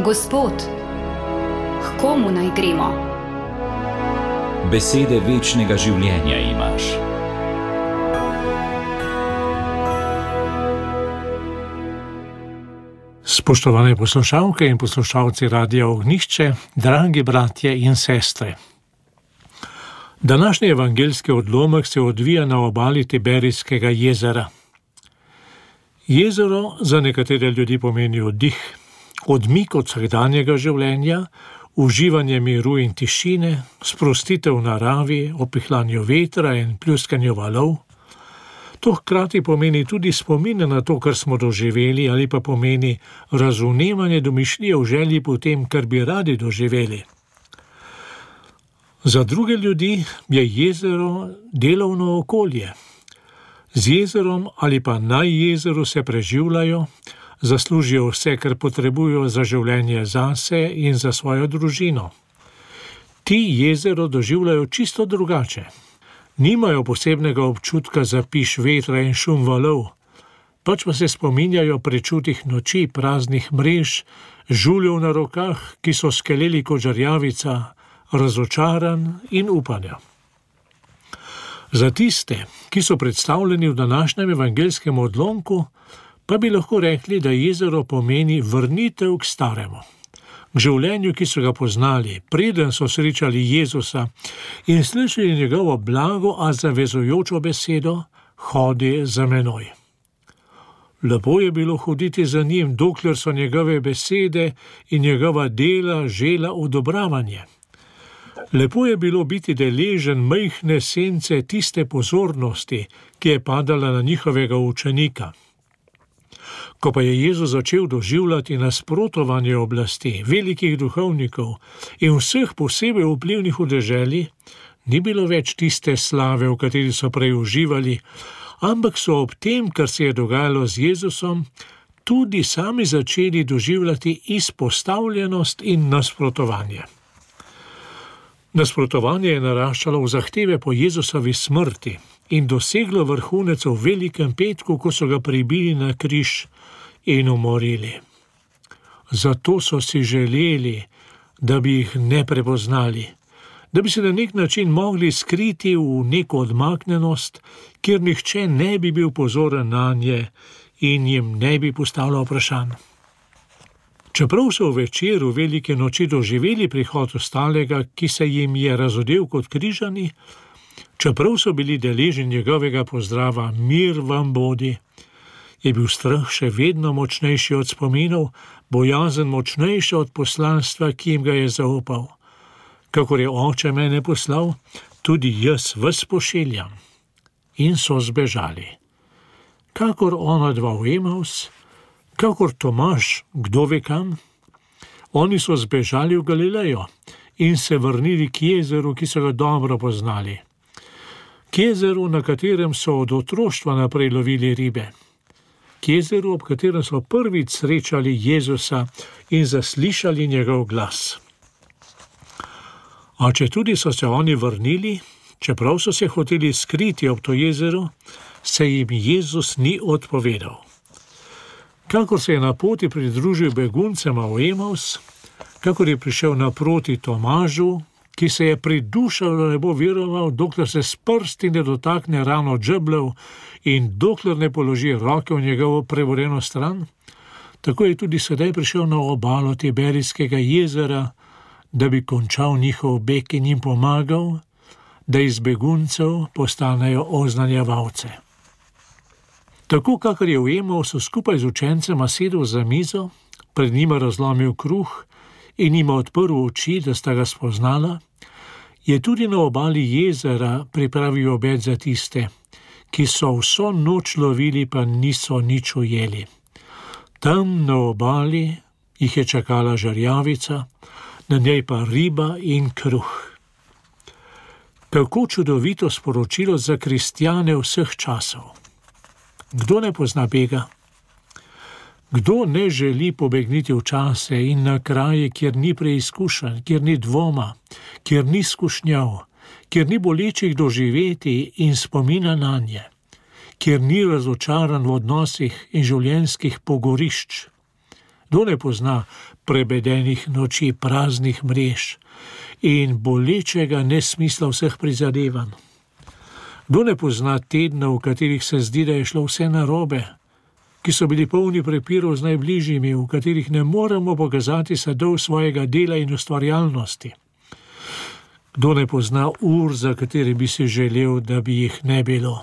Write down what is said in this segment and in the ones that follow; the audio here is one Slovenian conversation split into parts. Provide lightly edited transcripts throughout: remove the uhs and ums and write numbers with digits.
Gospod, k komu naj gremo? Besede večnega življenja imaš. Spoštovane poslušalke in poslušalci Radia Ognjišče, dragi bratje in sestre. Današnji evangeljski odlomek se odvija na obali Tiberijskega jezera. Jezero za nekatere ljudi pomeni oddih, odmik od vsakdanjega življenja, uživanje miru in tišine, sprostitev v naravi, opihljanje vetra in pljuskanje valov. To hkrati pomeni tudi spomine na to, kar smo doživeli, ali pa pomeni razumevanje domišljije v želji po tem, kar bi radi doživeli. Za druge ljudi je jezero delovno okolje. Z jezerom ali pa na jezeru se preživljajo, zaslužijo vse, kar potrebujo za življenje zase in za svojo družino. Ti jezero doživljajo čisto drugače. Nimajo posebnega občutka za piš vetra in šum valov, pač pa se spominjajo prečutih noči, praznih mrež, žuljev na rokah, ki so skeleli kot žarjavica, razočaran in upanja. Za tiste, ki so predstavljeni v današnjem evangeljskem odlomku, pa bi lahko rekli, da jezero pomeni vrnitev k staremu, k življenju, ki so ga poznali, preden so srečali Jezusa in slišali njegovo blago, a zavezujočo besedo: hodi za menoj. Lepo je bilo hoditi za njim, dokler so njegove besede in njegova dela žela odobravanje. Lepo je bilo biti deležen majhne sence tiste pozornosti, ki je padala na njihovega učenika. Ko pa je Jezus začel doživljati nasprotovanje oblasti, velikih duhovnikov in vseh posebej vplivnih v deželi, ni bilo več tiste slave, v kateri so prej uživali, ampak so ob tem, kar se je dogajalo z Jezusom, tudi sami začeli doživljati izpostavljenost in nasprotovanje. Nasprotovanje je naraščalo v zahteve po Jezusovi smrti in doseglo vrhunec v velikem petku, ko so ga pribili na križ in umorili. Zato so si želeli, da bi jih ne prepoznali, da bi se na nek način mogli skriti v neko odmaknjenost, kjer nihče ne bi bil pozoren nanje in jim ne bi postavljal vprašanj. Čeprav so v večeru velike noči doživeli prihod ostalega, ki se jim je razodel kot križani, čeprav so bili deležni njegovega pozdrava mir vam bodi, je bil strah še vedno močnejši od spominov, bojazen močnejša od poslanstva, ki jim ga je zaupal. Kakor je Oče mene poslal, tudi jaz vas pošiljam. In so zbežali. Kakor onadva v Emaus, kakor Tomaž, kdo ve kam, oni so zbežali v Galilejo in se vrnili k jezeru, ki so ga dobro poznali. K jezeru, na katerem so od otroštva naprej lovili ribe. K jezeru, ob katerem so prvič srečali Jezusa in zaslišali njegov glas. A če tudi so se oni vrnili, čeprav so se hoteli skriti ob to jezero, se jim Jezus ni odpovedal. Kakor se je na poti pridružil beguncema v Emaus, kakor je prišel naproti Tomažu, ki se je pridušal, da ne bo veroval, dokler se s prsti ne dotakne rano džebljev in dokler ne položi roke v njegovo prevoreno stran, tako je tudi sedaj prišel na obalo Tiberijskega jezera, da bi končal njihov beg in jim pomagal, da iz beguncev postanejo oznanjevalce. Tako, kakor je v Emausu skupaj z učencema sedel za mizo, pred njima razlomil kruh in jima odprl oči, da sta ga spoznala, je tudi na obali jezera pripravil obed za tiste, ki so vso noč lovili, pa niso nič ujeli. Tam na obali jih je čakala žarjavica, na njej pa riba in kruh. Kako čudovito sporočilo za kristjane vseh časov. Kdo ne pozna bega? Kdo ne želi pobegniti v čase in na kraje, kjer ni preizkušenj, kjer ni dvoma, kjer ni skušnjav, kjer ni bolečih doživeti in spomina nanje, kjer ni razočaran v odnosih in življenjskih pogorišč? Kdo ne pozna prebedenih noči, praznih mrež in bolečega nesmisla vseh prizadevanj? Kdo ne pozna tedna, v katerih se zdi, da je šlo vse narobe, ki so bili polni prepirov z najbližjimi, v katerih ne moremo pokazati sadov svojega dela in ustvarjalnosti? Kdo ne pozna ur, za katere bi si želel, da bi jih ne bilo?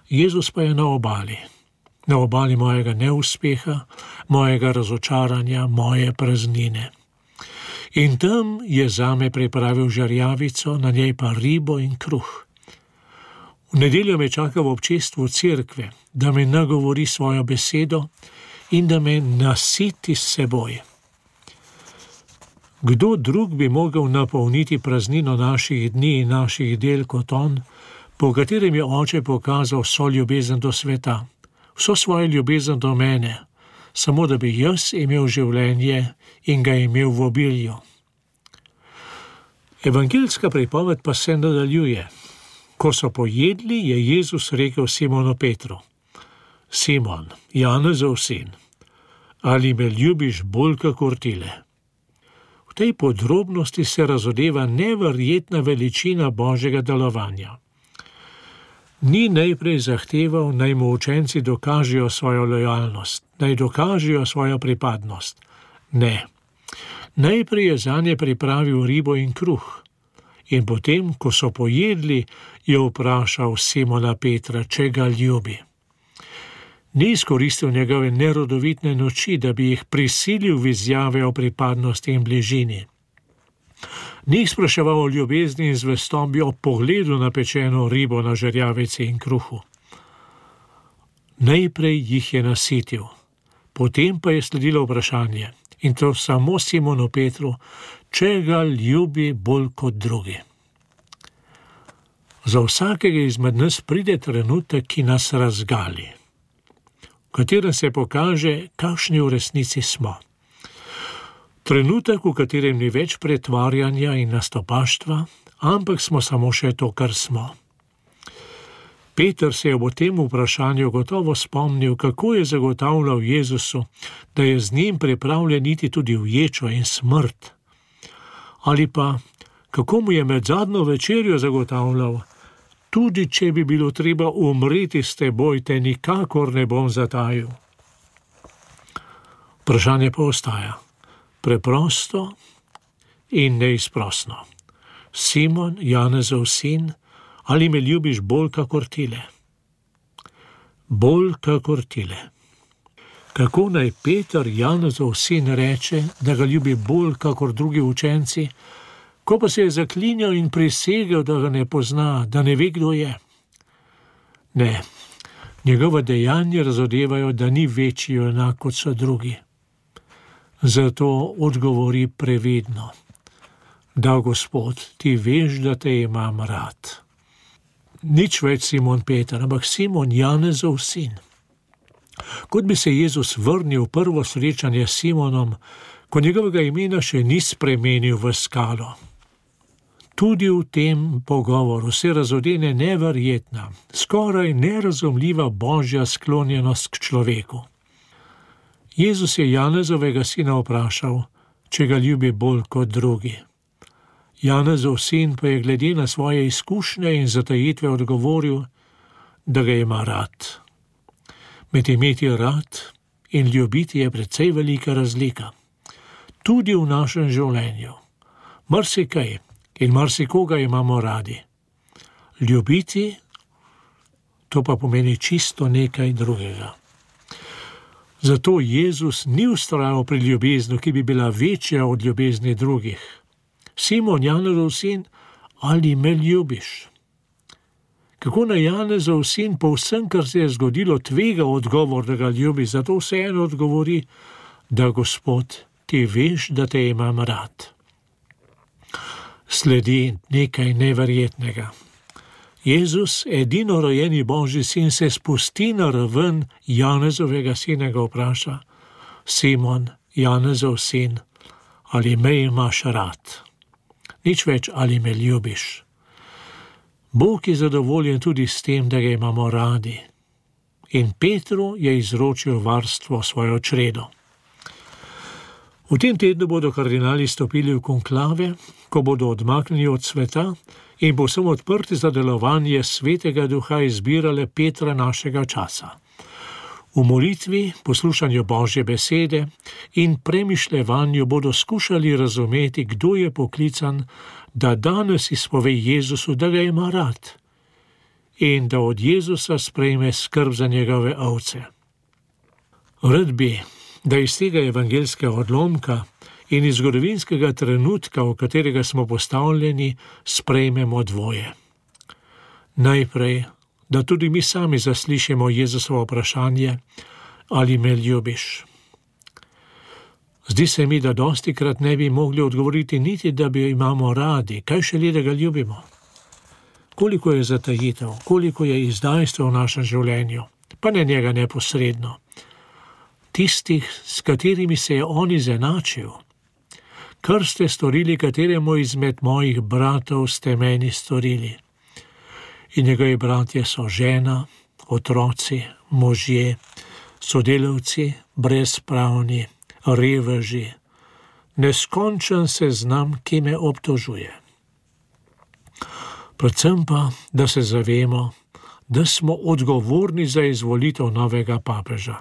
Jezus pa je na obali mojega neuspeha, mojega razočaranja, moje praznine. In tam je zame pripravil žerjavico, na njej pa ribo in kruh. V nedeljo me čaka v občestvu cerkve, da me nagovori svojo besedo in da me nasiti s seboj. Kdo drug bi mogel napolniti praznino naših dni in naših del kot on, po katerem je Oče pokazal vso ljubezen do sveta, vso svojo ljubezen do mene, samo da bi jaz imel življenje in ga imel v obilju. Evangeljska pripoved pa se nadaljuje. Ko so pojedli, je Jezus rekel Simonu Petru: Simon, Janezov sin, ali me ljubiš bolj kakor tile? V tej podrobnosti se razodeva neverjetna veličina Božjega delovanja. Ni najprej zahteval, naj mu učenci dokažejo svojo lojalnost, naj dokažejo svojo pripadnost. Ne. Najprej je zanje pripravil ribo in kruh. In potem, ko so pojedli, je vprašal Simona Petra, če ga ljubi. Ni izkoristil njegove nerodovitne noči, da bi jih prisilil v izjave o pripadnosti in bližini. Ni jih spraševal o ljubezni in zvestobi ob pogledu na pečeno ribo na žerjavici in kruhu. Najprej jih je nasitil, potem pa je sledilo vprašanje, in to samo Simonu Petru, če ga ljubi bolj kot drugi. Za vsakega izmed nas pride trenutek, ki nas razgali, v katerem se pokaže, kakšni v resnici smo. Trenutek, v katerem ni več pretvarjanja in nastopaštva, ampak smo samo še to, kar smo. Peter se je v tem vprašanju gotovo spomnil, kako je zagotavljal Jezusu, da je z njim pripravljen iti tudi v ječo in smrt. Ali pa, kako mu je med zadnjo večerjo zagotavljal, tudi če bi bilo treba umreti s teboj, te nikakor ne bom zatajil. Vprašanje pa ostaja. Preprosto in neizprosno. Simon, Janezov sin, ali me ljubiš bolj kakor tile? Bolj kakor tile. Kako naj Peter, Janezov sin, reče, da ga ljubi bolj kakor drugi učenci, ko pa se je zaklinjal in prisegel, da ga ne pozna, da ne ve, kdo je? Ne, njegova dejanja razodevajo, da ni večji junak kot so drugi. Zato odgovori previdno: Da, Gospod, ti veš, da te imam rad. Nič več Simon Peter, ampak Simon, Janezov sin. Kot bi se Jezus vrnil v prvo srečanje s Simonom, ko njegovega imena še ni spremenil v skalo. Tudi v tem pogovoru se razodene neverjetna, skoraj nerazumljiva Božja sklonjenost k človeku. Jezus je Janezovega sina vprašal, če ga ljubi bolj kot drugi. Janezov sin pa je glede na svoje izkušnje in zatajitve odgovoril, da ga ima rad. Med imeti rad in ljubiti je precej velika razlika. Tudi v našem življenju. Marsikaj in marsikoga imamo radi. Ljubiti, to pa pomeni čisto nekaj drugega. Zato Jezus ni vztrajal pri ljubezni, ki bi bila večja od ljubezni drugih. Simon, Janezov sin, ali me ljubiš? Kako naj Janezov sin po vsem, kar se je zgodilo, tvega odgovor, da ga ljubi, zato vseeno odgovori, da, Gospod, ti veš, da te imam rad. Sledi nekaj neverjetnega. Jezus, edino rojeni Božji sin, se spusti na raven Janezovega sina, ga vpraša: Simon, Janezov sin, ali me imaš rad? Nič več, ali me ljubiš. Bog je zadovoljen tudi s tem, da ga imamo radi. In Petru je izročil varstvo svojo čredo. V tem tednu bodo kardinali stopili v konklave, ko bodo odmaknjeni od sveta in povsem odprti za delovanje Svetega Duha izbirale Petra našega časa. V molitvi, poslušanju Božje besede in premišljevanju bodo skušali razumeti, kdo je poklican, da danes izpove Jezusu, da ga ima rad in da od Jezusa sprejme skrb za njegove ovce. Rad bi, da iz tega evangelskega odlomka in iz zgodovinskega trenutka, v katerega smo postavljeni, sprejmemo dvoje. Najprej, da tudi mi sami zaslišimo Jezusovo vprašanje, ali me ljubiš. Zdi se mi, da dostikrat ne bi mogli odgovoriti niti, da bi imamo radi, kaj šele, da ga ljubimo. Koliko je zatajitev, koliko je izdajstva v našem življenju, pa ne njega neposredno. Tistih, s katerimi se je on izenačil. Kar ste storili kateremu izmed mojih bratov, ste meni storili. In njegovi bratje so žena, otroci, možje, sodelavci, brezpravni, reveži. Neskončen seznam, ki me obtožuje. Predvsem pa, da se zavemo, da smo odgovorni za izvolitev novega papeža.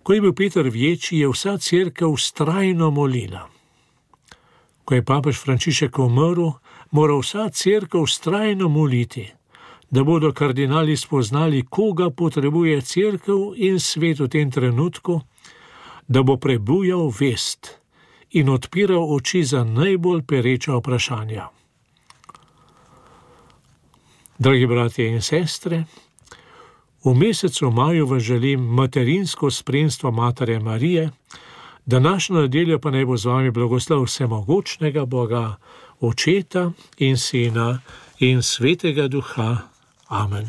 Ko je bil Peter Vječji, je vsa cerkev vztrajno molila. Ko je papež Frančišek umrl, mora vsa cerkev vztrajno moliti, da bodo kardinali spoznali, koga potrebuje cerkev in svet v tem trenutku, da bo prebujal vest in odpiral oči za najbolj pereča vprašanja. Dragi bratje in sestre, v mesecu maju vam želim materinsko spremstvo Matere Marije, današnjo nedeljo pa naj bo z vami blagoslov vsemogočnega Boga, Očeta in Sina in Svetega Duha. Amen.